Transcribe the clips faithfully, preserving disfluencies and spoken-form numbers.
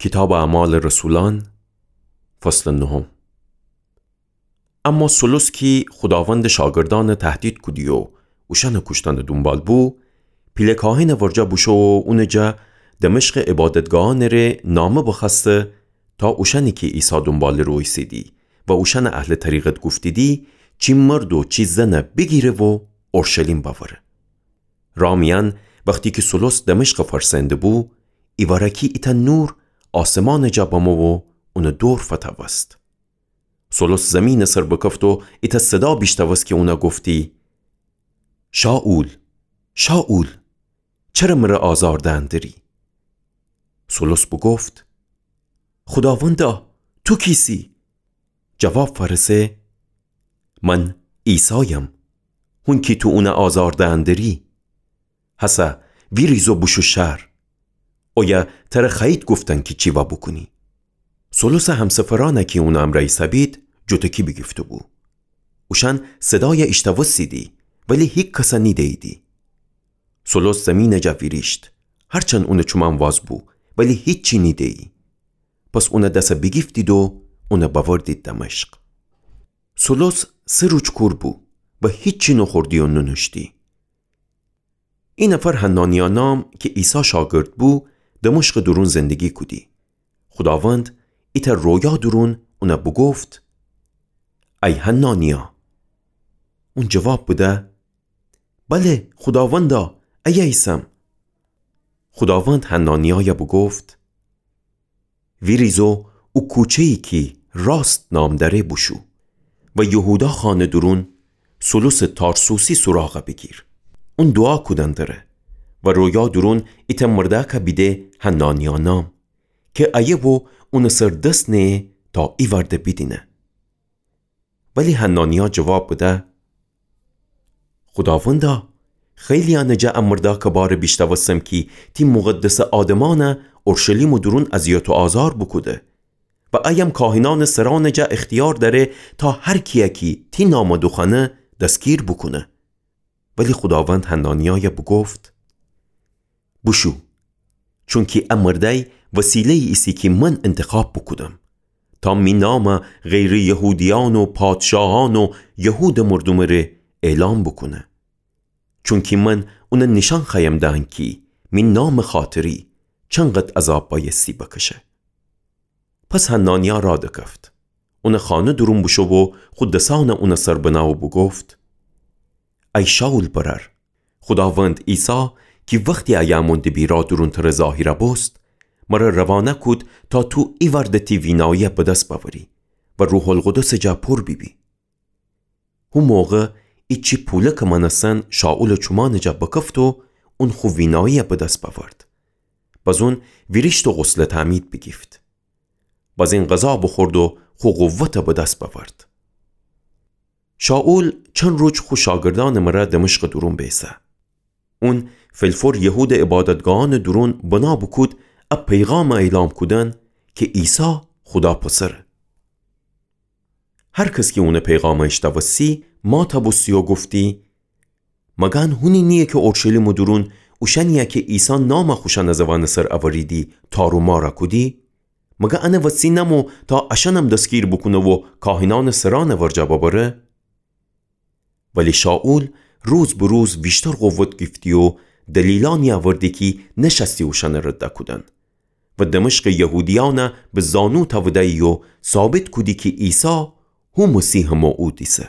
کیتابٚ اعمالٚ رسولأن، فصلٚ نهم. اما سولوس کی خوداوندٚ شاگردأنَ تهدید کودی و اوشأنٚ کوشتنٚ دونبال بو، پیله کاهینٚ ورجه بوشو و اونٚ جا دمشقٚ عبادتگاهأنٚ ره نامه بخوأسته، تا اوشأنی کی عیسی دونبالٚ رو ایسیدی و اوشأنَ اهلٚ طریقت گفتیدی، چی مرد و چی زنَ بیگیره و اورشلیم بأوره. راه میأن وختی کی سولوس دمشقَ فرسأینده‌بو، ایوارأکی ایتأ نور آسمانٚ جا بمو و اونٚ دور فتوست. سولوس زیمینٚ سر بکفت و ایتأ صدا بیشتوست کی اونَ گفتی، شائول، شائول، چره مرَ آزار دئن دری؟ سولوس بوگفت، خوداوندا، تو کیسی؟ جواب فأرسه، من عیسایم، هون کی تو اونَ آزار دئن دری. هسه ویریز و بوشو شهر. اویه ترَ خوأیید گفتن کی چی وا بوکونی. سولوسٚ همسفرأنَ کی اونٚ امرأ ایسه‌بید، جوتکی بیگیفته‌بو. اوشأن صدایَ ایشتوستیدی، ولی هیکسَ نیده‌ییدی. سولوس زیمینٚ جا ویریشت، هرچند اونٚ چومأن واز بو، ولی هیچی نیده‌یی. پس اونٚ دسَ بیگیفتید و اونَ بأوردید دمشق. سولوس سه روج کور بو و هیچی نوخوردی و نونوشتی. ای نفر حنانیا نام کی عیسی شاگرد بو، دمشقٚ دورون زندگی کودی. خوداوند ایتأ رویا دورون اونَ بوگفت، ای حنانیا! اون جواب بده، بله، خوداوندا، ایه ایسم. خوداوند حنانیایَ بوگفت، ویریز و او کوچه‌یی کی راست نام دأره بوشو و یهودا خانه دورون سولوسٚ تارسوسی سوراغَ بیگیر. اون دوعا کودن دره و رویا دورون ایتأ مردأکَ بیده حنانیا نام، کی ایه و اونٚ سر دس نهه تا ایوأرده بیدینه. ولی حنانیا جواب بده، خوداوندا، خیلیأنٚ جا ا مردأکٚ باره بیشتوستم کی تی مقدسٚ آدمأنَ اورشلیمٚ دورون اذیت و آزار بوکوده و ایم کاهنأنٚ سرأنٚ جا اختیار دأره تا هر کی‌یَ کی تی نامَ دوخوأنه دسگیر بوکونه. ولی خوداوند حنانیایَ بوگفت، بوشو، چونکی ا مردأی وسیله‌یی ایسه کی من انتخاب بوکودم، تا می نامَ غیرٚ یهودیأن و پادشاهأن و یهودٚ مردومٚ ره اعلام بوکونه. چونکی من اونَ نیشأن خوأیم دأن کی می نامٚ خاطری چنقد عذاب بأیستی بکشه. پس حنانیا راه دکفت. اونٚ خانه دورون بوشو و خو دسأنَ اونٚ سر بنه و بوگفت، ای شائول برأر، خوداوند عیسی کی وختی ایه امون دبیرا دورون تره ظاهر بوست، مرَ روانه کود تا تو ایوأرده تی وینایی‌یَ بدس بأوری و روح‌القدسٚ جا پور بیبی. هو موقع ایچی پولکٚ مأنستن شائولٚ چومأنٚ جا بکفت و اون خو وینایی‌یَ بدس بأورد. بزون ویریشت و غسلٚ تعمید بیگیفت. بزین غذا بوخورد و خو قوتَ بدس بأورد. شائول چند روج خو شاگردأنٚ مرا دمشقٚ دورون بیسه. اون فلفور یهودٚ عبادتگاهأنٚ دورون بنا بوکود ا پیغامَ اعلام کودن کی عیسی خودا پسره. هر کس کی اونٚ پیغامَ ایشتوستی، ماتَ بوستی و گفتی: مگر ان هونی نییه کی اورشلیمٚ دورون اوشأنی‌یَ کی عیسی نامَ خوشأنٚ زوأنٚ سر اوریدی، تار و مارَ کودی؟ مگر انٚ وسی نمو تا اشأنم دستگیر بوکونه و کاهنأنٚ سرأنٚ ورجه ببره؟ ولی شائول روز به روز ویشتر قوت گیفتی و دلیلأنی اوردی کی نشأستی اوشأنَ رد کودن و دمشقٚ یهودیأنَ به زانو تأوده‌یی و ثابت کودی کی عیسی هو مسیحٚ موعود ایسه.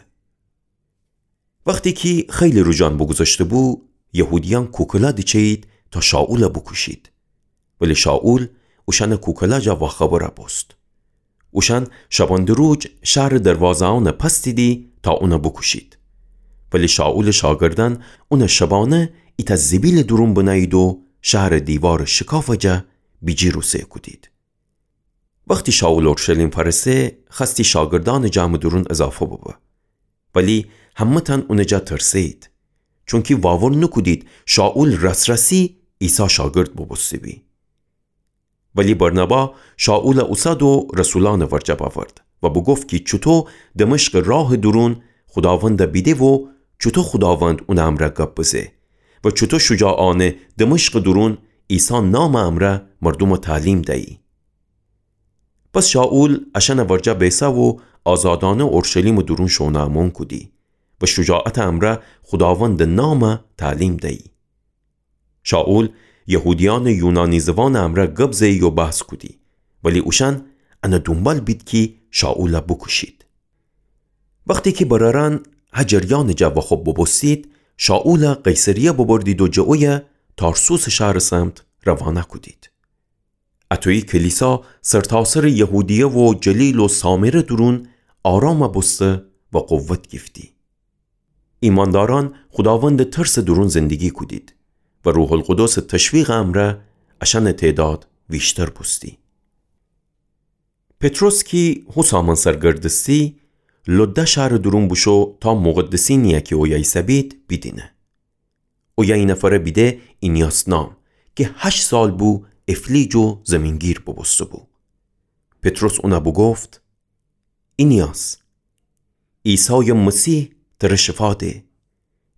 وختی کی خیلی روجأن بوگوذشته‌بو، یهودیأن کوکله دیچه‌یید تا شائولَ بوکوشید. ولی شائول اوشأنَ کوکله جا واخبر بوست. اوشأن شبانده روج شهرٚ دروازه‌أنَ پستیدی تا اونَ بوکوشید. ولی شائولٚ شاگردأن اونَ شبانه ایتأ زیبیلٚ دورون بنه‌یید و شهرٚ دیوارٚ شکافٚ جا بیجیر اوسه کودید. وختی شائول اورشلیم فأرسه، خوأستی شاگردأنٚ جمعٚ دورون اضافه ببه. ولی همه‌تأن اونٚ جا ترسه‌یید، چونکی واور نوکودید شائول راس‌راسی عیسی شاگرد بوبوسته‌بی. ولی برنبا شائولَ اوسد و رسولأنٚ ورجه بأورد و بوگفت کی چوطو دمشقٚ راهٚ دورون خوداوندَ بیده و چوطو خوداوند اونٚ امرأ گب بزه و چوطو شجاعأنه دمشقٚ دورون عیسی نامٚ امرأ مردومَ تعلیم دیی. پس شائول اشأنٚ ورجه بیسه و آزادأنه اورشلیمٚ دورون شوئونٚ امون کودی و شجاعتٚ امرأ خوداوندٚ نامَ تعلیم دیی. شائول یهودیأنٚ یونانی زوانٚ امرأ گب زهیی و بحث کودی، ولی اوشأن انٚ دونبال بید کی شائولَ بوکوشید. وختی کی برأرأن هه جریانٚ جا واخوب بوبوستید، شائولَ قیصریه ببردید و جٚه اویه تارسوسٚ شهرٚ سمت روانه کودید. اطویی کلیسا سرتاسرٚ یهودیه و جلیل و سامره دورون آرامَ بوسته و قوت گیفتی. ایماندارأن خوداوندٚ ترسٚ دورون زندگی کودید و روح‌القدسٚ تشویقٚ امرأ اشأنٚ تعداد ویشتر بوستی. پطرس کی هو سامأن سرگردستی، لده شهرٚ دورون بوشو تا مقدسینی‌یَ کی اویه ایسه‌بید بیدینه. اویه اینفرَ بیده اینیاس نام، کی هشت سال بو افلیج و زیمین‌گیر بوبوسته‌بو. پطرس اونَ بوگفت: اینیاس، عیسایٚ مسیح ترَ شفا ده.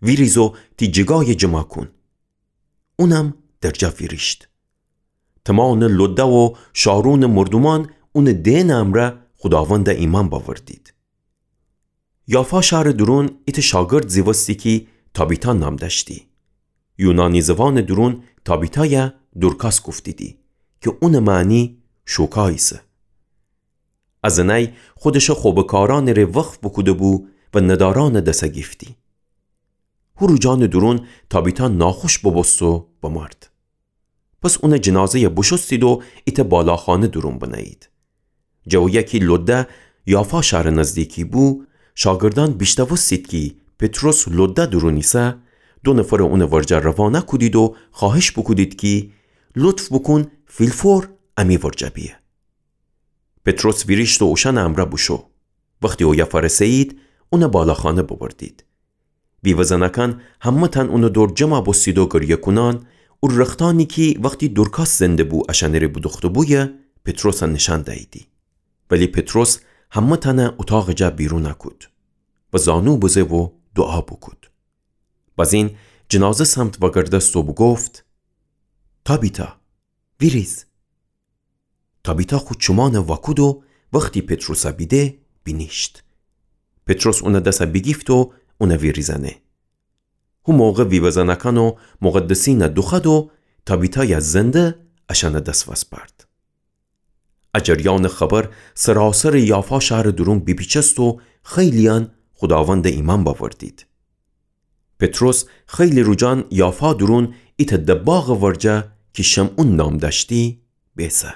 ویریز و تی جیگایَ جمَ کون. اونم درجا ویریشت. تومانٚ لده و شارونٚ مردومأن اونٚ دئنٚ امرأ خوداوندَ ایمأن بأوردید. یافا شهرٚ دورون ایتأ شاگرد زیوستی کی تابیتا نام دأشتی. یونانی زوانٚ دورون تابیتایَ دورکاس گفتیدی، کی اونٚ معنی شوکا ایسه. ا زنأی خودشٚ خوبٚ کارأنٚ ره وقف بوکوده‌بو و ندارأنٚ دسَ گیفتی. هو روجأنٚ دورون تابیتا ناخوش بوبوست و بمرد. پس اونٚ جنازه‌یَ بوشوستید و ایتأ بالاخانه دورون بنه‌یید. جٚه اویه کی لده یافا شهرٚ نزدیکی بو، شاگردأن بیشنوستید کی پطرس لده دورون ایسه، دو نفرَ اونٚ ورجه روانه کودید و خوأهش بوکودید کی لطف بوکون فی‌الفور امی ورجه بیه. پطرس ویریشت و اوشأنٚ امرأ بوشو. وختی اویه فأرسه‌یید، اونَ بالاخانه ببردید. بیوه‌زنأکأن همه‌تأن اونٚ دور جمَ بوستید و گریه کونأن، او رختأنی کی وختی دورکاس زنده‌بو اشأنٚ ره بودوخته‌بویه، پطرسَ نیشأن دییدی. ولی پطرس همه‌تأنَ اوطاقٚ جا بیرون کود و زانو بزه و دوعا بوکود. بازین جنازه سمت وأگردست و بوگفت: تابیتا، ویریز. تابیتا خو چومأنَ وأکود و وختی پطرسَ بیده، بینیشت. پطرس اونٚ دسَ بیگیفت و اونَ ویریزأنه. هو موقع ویوه‌زنأکأن و مقدسینَ دوخوأد و تابیتایَ زنده اشأنٚ دس وسپأرد. ا جریانٚ خبر سراسرٚ یافا شهرٚ دورون بیپیچست و خیلی‌یأن خوداوندَ ایمأن بأوردید. پطرس خیلی روجأن یافا دورون ایتأ دباغٚ ورجه کی شمعون نام دأشتی، بیسه.